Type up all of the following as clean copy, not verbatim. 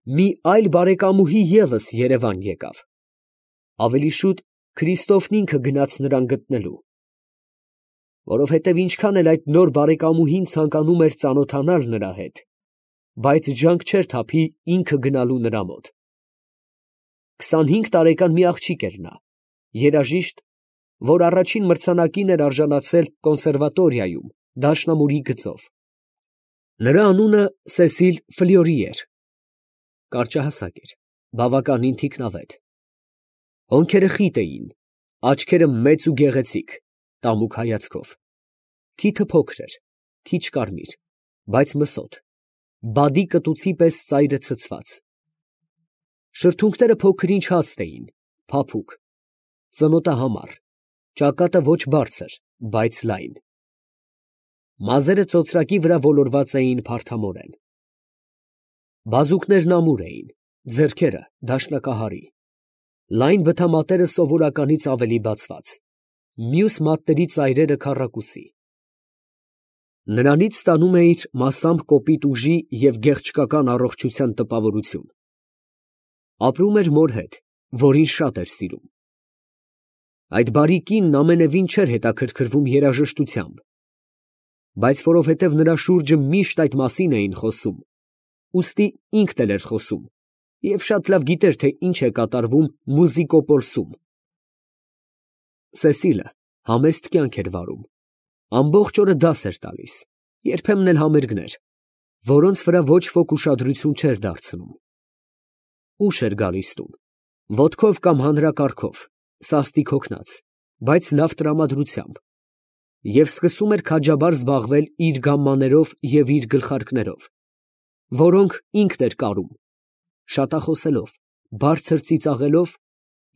մի այլ բարեկամուհի ևս Երևան եկավ։ Ավելի շուտ Քրիստոֆն ինքը գնաց նրան գտնելու։ Որովհետև ինչքան էլ այդ նոր բարեկամուհին ցանկանում էր ծանոթանալ նրա հետ, բայց ջանք չէր թափի ինքը գնալու նրա մոտ։ 25 տարեկան մի աղջիկ էր նա, երաժիշտ, որ առաջին մրցանակին էր արժանացել կոնսերվատորիայում դաշնամուրի գծով։ Նրա անունը Սեսիլ Ֆլյորի էր, կարճահասակ էր, բավականին թիկնավետ։ Հոնքերը խիտ էին, աչքերը մեծ ու գեղեցիկ, տամուկ հայացքով, քիթը փոքր էր, քիչ կարմիր, բայց մսոտ, բադի կտուցի պես ծայրը ցցված։ Շրթունքները փոքր-ինչ հաստ էին, փափուկ, ծնոտը համառ, ճակատը ոչ բարձր, բայց լայն։ Մազերը ծոծրակի վրա ոլորված էին փարթամորեն։ Բազուկներն ամուր էին, ձեռքերը դաշնակահարի, լայն բթամատերը սովորականից ավելի բացված, մյուս մատների ծայրերը քառակուսի։ Նրանից ստանում էիր մասամբ կոպիտ ուժի և գեղչկական առողջության տպավորություն։ Ապրում էր մոր հետ, որին շատ էր սիրում։ Այդ բարի կինն ամենևին չէր հետաքրքրվում երաժշտությամբ, բայց որովհետև նրա շուրջը միշտ այդ մասին էին խոսում, ուստի ինքն էլ էր խոսում և շատ լավ գիտեր, թե ինչ է կատարվում Մուզիկոպոլսում։ Սեսիլը համեստ կյանք էր վարում, ամբողջ օրը դաս էր տալիս, երբեմն էլ համերգներ, որոնց վրա ոչ ոք ուշադրություն չէր դարձնում։ Ուշ էր գալիս տուն, ոտքով կամ հանրակառքով, սաստիկ հոգնած, բայց լավ տրամադրությամբ, և սկսում էր քաջաբար զբաղվել իր գամմաներով և իր գլխարկներով, որոնք ինքն էր կարում, շատախոսելով, բարձր ծիծաղելով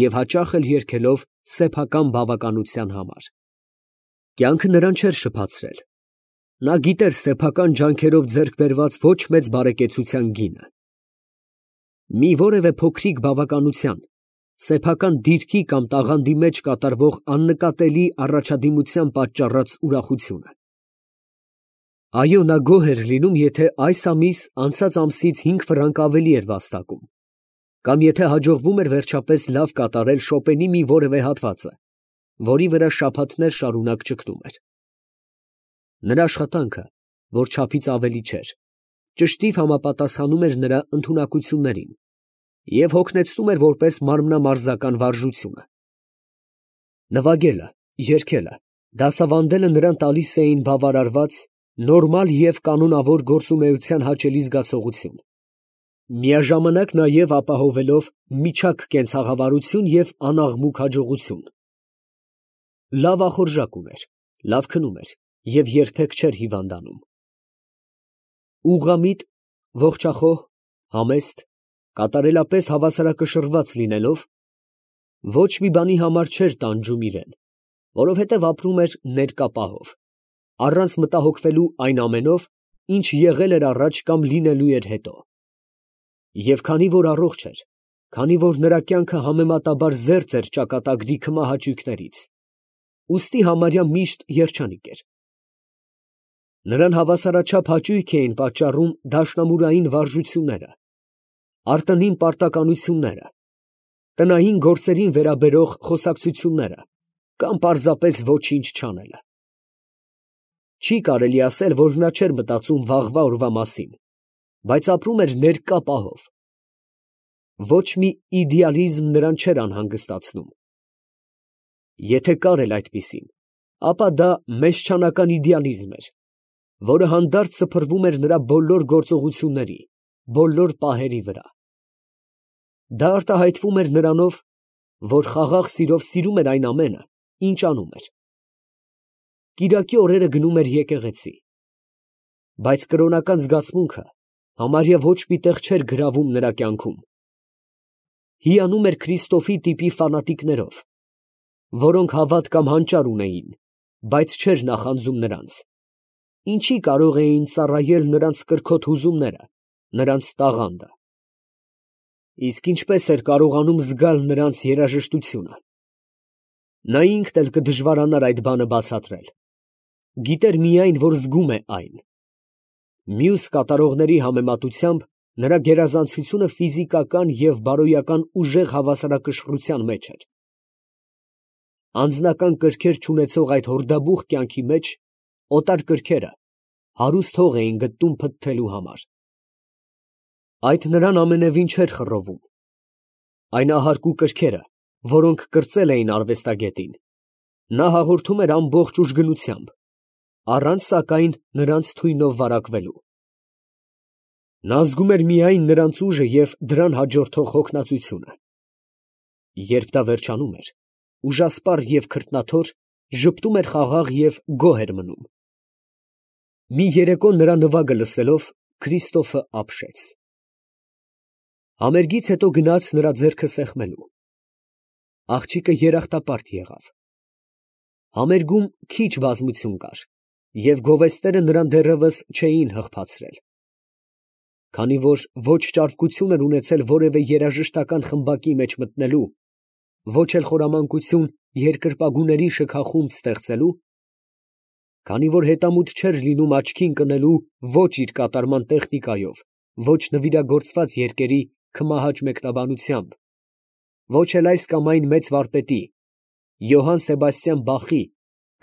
և հաճախ էլ երգելով սեփական բավականության համար։ Կյանքը նրան չէր շփացրել։ Նա գիտեր սեփական ջանքերով ձեռք բերված ոչ մեծ բարեկեցության գինը։ Մի որևէ փոքրիկ բավականության, սեփական դիրքի կամ տաղանդի մեջ կատարվող աննկատելի առաջադիմության պատճառած ուրախությունը։ Այո, նա գոհ էր լինում, եթե այս ամիս անցած ամսից 5 ֆրանկ ավելի էր վաստակում, կամ եթե հաջողվում էր վերջապես լավ կատարել Շոպենի մի որևէ հատվածը, որի վրա շաբաթներ շարունակ ճգնում էր։ Նրա աշխատանքը, որ չափից ավելի չէր, ճշտիվ համապատասխանում էր նրա ընդունակություններին և հոգնեցնում էր որպես մարմնամարզական վարժությունը։ Նվագելը, երգելը, դասավանդելը նրան տալիս էին բավարարված, նորմալ և կանոնավոր գործունեության հաճելի զգացողություն, միաժամանակ նաև ապահովելով միջակ կենցաղավարություն և անաղմուկ հաջողություն։ Լավ ախորժակ ուներ, լավ քնում էր և երբեք չէր հիվանդանում։ Ուղղամիտ, ողջախոհ, համեստ, կատարելապես հավասարակշռված լինելով, ոչ մի բանի համար չէր տանջում իրեն, որովհետև ապրում էր ներկա պահով, առանց մտահոգվելու այն ամենով, ինչ եղել էր առաջ կամ լինելու էր հետո։ Եվ քանի որ առողջ էր, քանի որ նրա կյանքը համեմատաբար զերծ էր ճակատագրի քմահաճույքներից, ուստի համարյա միշտ երջանիկ էր։ Նրան հավասարաչափ հաճույք էին պատճառում դաշնամուրային վարժությունները, արտոնին պարտականությունները, տնային գործերին վերաբերող խոսակցությունները կամ պարզապես ոչինչ չանելը։ Չի կարելի ասել, որ նա չէր մտածում վաղվա օրվա մասին, բայց ապրում էր ներկա պահով։ Ոչ մի իդեալիզմ նրան չէր անհանգստացնում։ Եթե կար էլ այդպիսին, ապա դա մեզչանական իդեալիզմ էր, որը հանդարտ սփռվում էր նրա բոլոր գործողությունների, բոլոր պահերի վրա։ Դա արտահայտվում էր նրանով, որ խաղաղ սիրով սիրում էր այն ամենը, ինչ անում էր։ Կիրակի օրերը գնում էր եկեղեցի, բայց կրոնական զգացմունքը համարյա ոչ մի տեղ չէր գրավում նրա կյանքում։ Հիանում էր Քրիստոֆի տիպի ֆանատիկներով, որոնք հավատ կամ հանճար ունեին, բայց չէր նախանձում նրանց, ինչի կարող էին ծառայել նրանց կրքոտ հուզումները, նրանց տաղանդը։ Իսկ ինչպես էր կարողանում զգալ նրանց երաժշտությունը։ Նա ինքն էլ կդժվարանար այդ բանը բացատրել, գիտեր միայն, որ զգում է այն։ Մյուս կատարողների համեմատությամբ Նրա գերազանցությունը ֆիզիկական և բարոյական ուժեղ հավասարակշռության մեջ էր։ Անձնական կրքեր չունեցող այդ հորդաբուխ կյանքի մեջ օտար կրքերը հարուստ հող էին գտնում փթթելու համար։ Այդ նրան ամենևին չէր խռովում։ Այն ահարկու կրքերը, որոնք կրծել էին արվեստագետին, նա հաղորդում էր ամբողջ ուժգնությամբ, առանց սակայն նրանց թույնով վարակվելու։ Նա զգում էր միայն նրանց ուժը և դրան հաջորդող հոգնածությունը։ Երբ դա վերջանում էր, ուժասպառ և քրտնաթոր, ժպտում էր խաղաղ և գոհ էր մնում։ Մի երեկո նրա նվագը լսելով, Քրիստոֆը ապշեց։ Համերգից հետո գնաց նրա ձեռքը սեղմելու։ Աղջիկը երախտապարտ եղավ։ Համերգում քիչ բազմություն կար, և գովեստները նրան դեռևս չէին հղբացրել։ Քանի որ ոչ ճարպկություն էր ունեցել որևէ երաժշտական խմբակի մեջ մտնելու, ոչ էլ խորամանկություն երկրպագուների շքախումբ ստեղծելու, քանի որ հետամուտ չէր լինում աչքի ընկնելու ոչ իր կատարման տեխնիկայով, ոչ նվիրագործված երկերի քմահաճ մեկնաբանությամբ, ոչ էլ այս կամ այն մեծ վարպետի Յոհան Սեբաստիան Բախի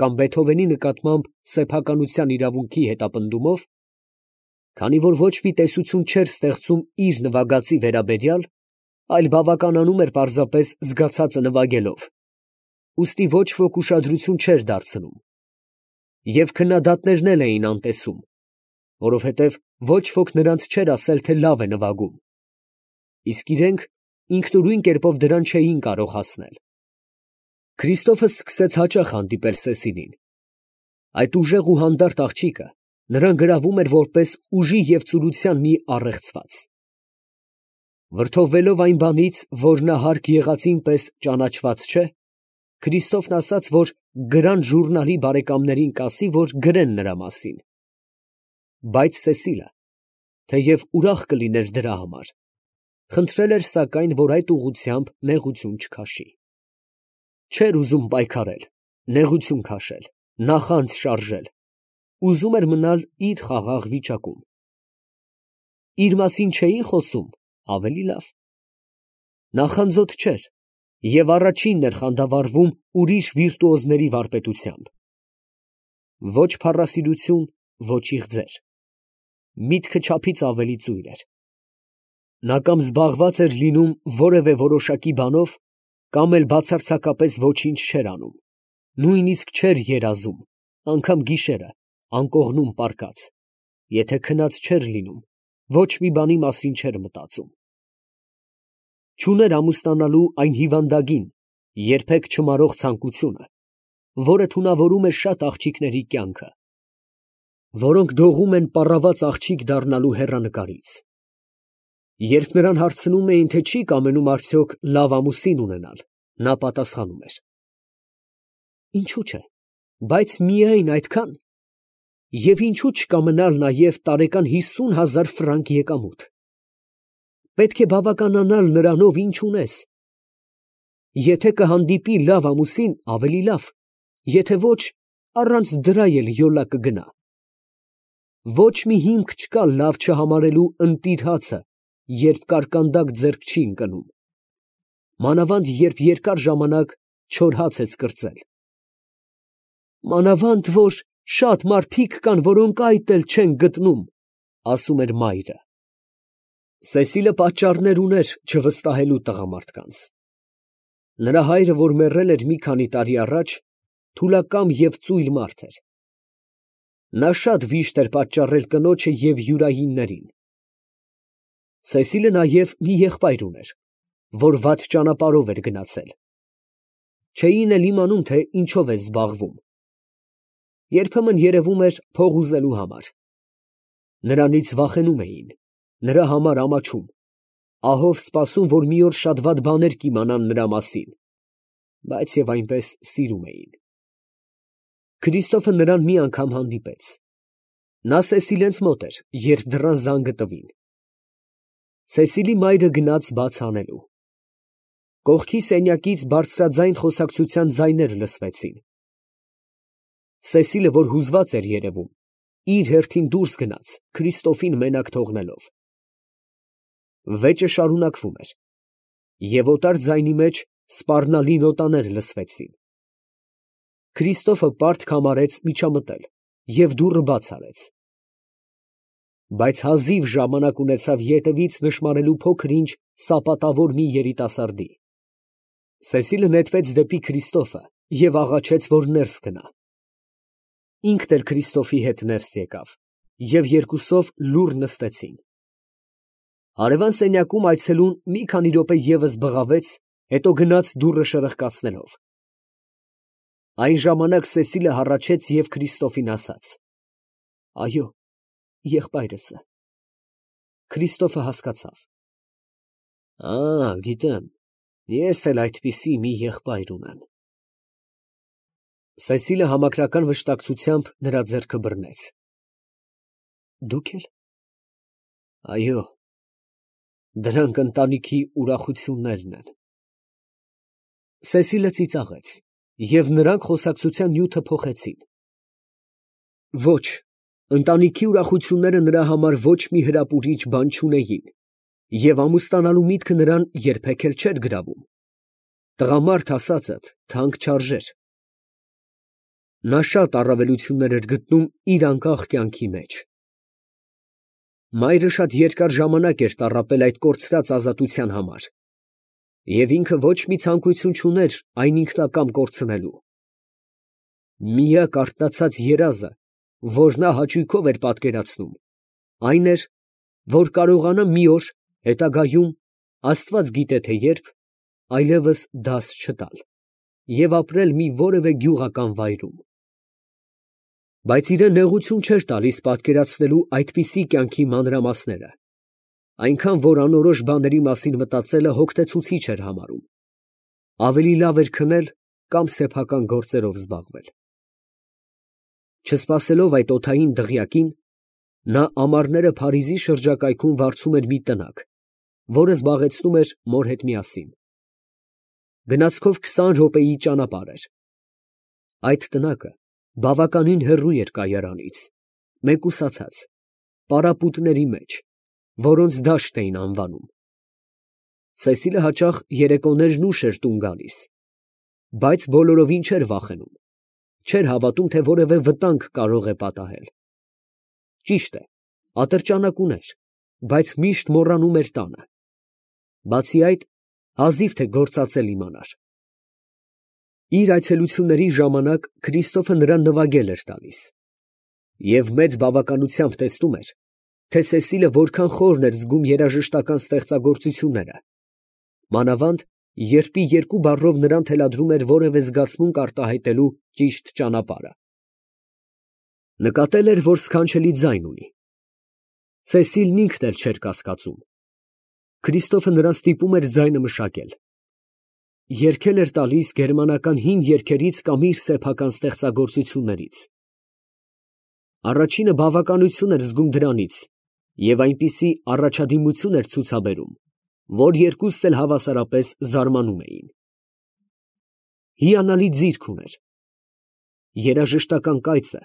կամ Բեթհովենի նկատմամբ սեփականության իրավունքի հետապնդումով, քանի որ ոչ մի տեսություն չէր ստեղծում իր նվագածի վերաբերյալ, այլ բավականանում էր պարզապես զգացածը նվագելով, ուստի ոչ ոք ուշադրություն չէր դարձնում, և քննադատներն էլ էին անտեսում, որովհետև ոչ ոք նրանց չէր ասել, թե լավ է նվագում, իսկ իրենք ինքնուրույն կերպով դրան չէին կարող հասնել։ Քրիստոֆը սկսեց հաճախ հանդիպել Սեսիլին։ Այդ ուժեղ ու հանդարտ աղջիկը նրան գրավում էր որպես ուժի և ծուլության մի առեղծված։ Վրդովվելով այն բանից, որ նա հարկ եղածին պես ճանաչված չէ, Քրիստոֆն ասաց, որ «Գրան» ժուռնալի բարեկամներին կասի, որ գրեն նրա մասին։ Բայց Սեսիլը, թեև ուրախ կլիներ դրա համար, խնդրել էր սակայն, որ այդ ուղղությամբ նեղություն չքաշի։ Չէր ուզում պայքարել, նեղություն քաշել, նախանձ շարժել, ուզում էր մնալ իր խաղաղ վիճակում։ Իր մասին չէի խոսում, ավելի լավ։ Նախանձոտ չէր և առաջինն էր խանդավառվում ուրիշ վիրտուոզների վարպետությամբ։ Ոչ փառասիրություն, ոչ իղձեր։ Միտքը չափից ավելի ծույլ էր։ Նա կամ զբաղված էր լինում որևէ որոշակի բանով, կամ էլ բացարձակապես ոչինչ չէր անում, նույնիսկ չէր երազում, անգամ գիշերը, անկողնում պառկած, եթե քնած չէր լինում, ոչ մի բանի մասին չէր մտածում։ Չուներ ամուսնանալու այն հիվանդագին, երբեք չմարող ցանկությունը, որը թունավորում է շատ աղջիկների կյանքը, որոնք դողում են պառաված աղջիկ դառնալու հեռանկարից։ Երբ նրան հարցնում էին, թե չի կամենում արդյոք լավ ամուսին ունենալ, նա պատասխանում էր. Ինչու՞ չէ, բայց միայն այդքան, և ինչու՞ չկամենալ նաև տարեկան 50,000 ֆրանկ եկամուտ։ Պետք է բավականանալ նրանով, ինչ ունես։ Եթե կհանդիպի լավ ամուսին, ավելի լավ, եթե ոչ, առանց դրա էլ յոլա կգնա։ Ոչ մի հիմք չկա լավ չհամարելու ընտիր հացը, երբ կարկանդակ ձեռք չի ընկնում, մանավանդ երբ երկար ժամանակ չոր հաց ես կրծել։ Մանավանդ որ շատ մարդիկ կան, որոնք այդ էլ չեն գտնում, ասում էր մայրը։ Սեսիլը պատճառներ ուներ չվստահելու տղամարդկանց։ Նրա հայրը, որ մեռել էր մի քանի տարի առաջ, թուլակամ և ծույլ մարդ էր։ Նա շատ վիշտ էր պատճառել կնոջը և յուրայիններին։ Սեսիլը նաև մի եղբայր ուներ, որ վատ ճանապարհով էր գնացել։ Չէին էլ իմանում, թե ինչով է զբաղվում։ Երբեմն երևում էր փող ուզելու համար։ Նրանից վախենում էին, նրա համար ամաչում, ահով սպասում, որ մի օր շատ վատ բաներ կիմանան նրա մասին, բայց և այնպես սիրում էին։ Քրիստոֆը նրան մի անգամ հանդիպեց։ Նա Սեսիլենց մոտ էր, երբ դռան զանգը տվին։ Սեսիլի մայրը գնաց բաց անելու։ Կողքի սենյակից բարձրաձայն խոսակցության ձայներ լսվեցին։ Սեսիլը, որ հուզված էր երևում, իր հերթին դուրս գնաց, Քրիստոֆին մենակ թողնելով։ Վեճը շարունակվում էր, և օտար ձայնի մեջ սպառնալի նոտաներ լսվեցին։ Քրիստոֆը պարտք համարեց միջամտել և դուռը բաց արեց։ Բայց հազիվ ժամանակ ունեցավ ետևից նշմարելու փոքր-ինչ սապատավոր մի երիտասարդի։ Սեսիլը նետվեց դեպի Քրիստոֆը և աղաչեց, որ ներս գնա։ Ինքն էլ Քրիստոֆի հետ ներս եկավ, և երկուսով լուռ նստեցին։ Հարևան սենյակում այցելուն մի քանի րոպե ևս բղավեց, հետո գնաց դուռը շրխկացնելով։ Այն ժամանակ Սեսիլը հառաչեց և Քրիստոֆին ասաց. «Այո, եղբայրս է»։ Քրիստոֆը հասկացավ. գիտեմ, ես էլ այդպիսի մի եղբայր ունեմ։ Սեսիլը համակրական վշտակցությամբ նրա ձեռքը բռնեց։ Դուք էլ։ Այո, դրանք ընտանիքի ուրախություններն են։ Սեսիլը ծիծաղեց, և նրանք խոսակցության նյութը փոխեցին։ Ոչ, ընտանիքի ուրախությունները նրա համար ոչ մի հրապուրիչ բան չունեին, և ամուսնանալու միտքը նրան երբեք էլ չէր գրավում։ Տղամարդ ասածդ թանկ չարժեր։ Նա շատ առավելություններ էր գտնում իր անկախ կյանքի մեջ։ Մայրը շատ երկար ժամանակ էր տառապել այդ կորցրած ազատության համար, և ինքը ոչ մի ցանկություն չուներ այն ինքնակամ կորցնելու։ Միակ արթնացած երազը, որ նա հաճույքով էր պատկերացնում, այն էր, որ կարողանա մի օր հետագայում, աստված գիտե թե երբ, այլևս դաս չտալ և ապրել մի որևէ գյուղական վայրում։ Բայց իրան նեղություն չէր տալիս պատկերացնելու այդպիսի կյանքի մանրամասները, այնքան որ անորոշ բաների մասին մտածելը հոգնեցուցիչ էր համարում։ Ավելի լավ էր քնել կամ սեփական գործերով զբաղվել։ Չսպասելով այդ օդային դղյակին, նա ամառները Փարիզի շրջակայքում վարձում էր մի տնակ, որը զբաղեցնում էր մոր հետ միասին։ Գնացքով 20 րոպեի ճանապարհ էր։ Այդ տնակը բավականին հեռու էր կայարանից, մեկուսացած, պարապուտների մեջ, որոնց դաշտ էին անվանում։ Սեսիլը հաճախ երեկոներն ուշ էր տուն գալիս, բայց բոլորովին չէր վախենում, չէր հավատում, թե որևէ վտանգ կարող է պատահել։ Ճիշտ է, ատրճանակ ուներ, բայց միշտ մոռանում էր տանը։ Բացի այդ, հազիվ թե գործածել իմանար։ Իր այցելությունների ժամանակ Քրիստոֆը նրան նվագել էր տալիս, և մեծ բավականությամբ տեսնում էր, թե Սեսիլը որքան խորն էր զգում երաժշտական ստեղծագործությունները, մանավանդ երբ երկու բառով նրան թելադրում էր որևէ զգացմունք արտահայտելու ճիշտ ճանապարհը։ Նկատել էր, որ սքանչելի ձայն ունի։ Սեսիլն ինքն էլ չէր կասկածում։ Քրիստոֆը նրան ստիպում էր ձայնը մշակել։ Երգել էր տալիս գերմանական հին երգերից կամ իր սեփական ստեղծագործություններից։ Առաջինը բավականություն էր զգում դրանից և այնպիսի առաջադիմություն էր ցուցաբերում, որ երկուսն էլ հավասարապես զարմանում էին։ Հիանալի ձիրք ուներ։ Երաժշտական կայծը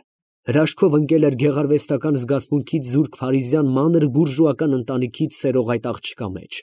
հրաշքով ընկել էր գեղարվեստական զգացմունքից զուրկ փարիզյան մանր բուրժուական ընտանիքից սերող այդ աղջկա մեջ։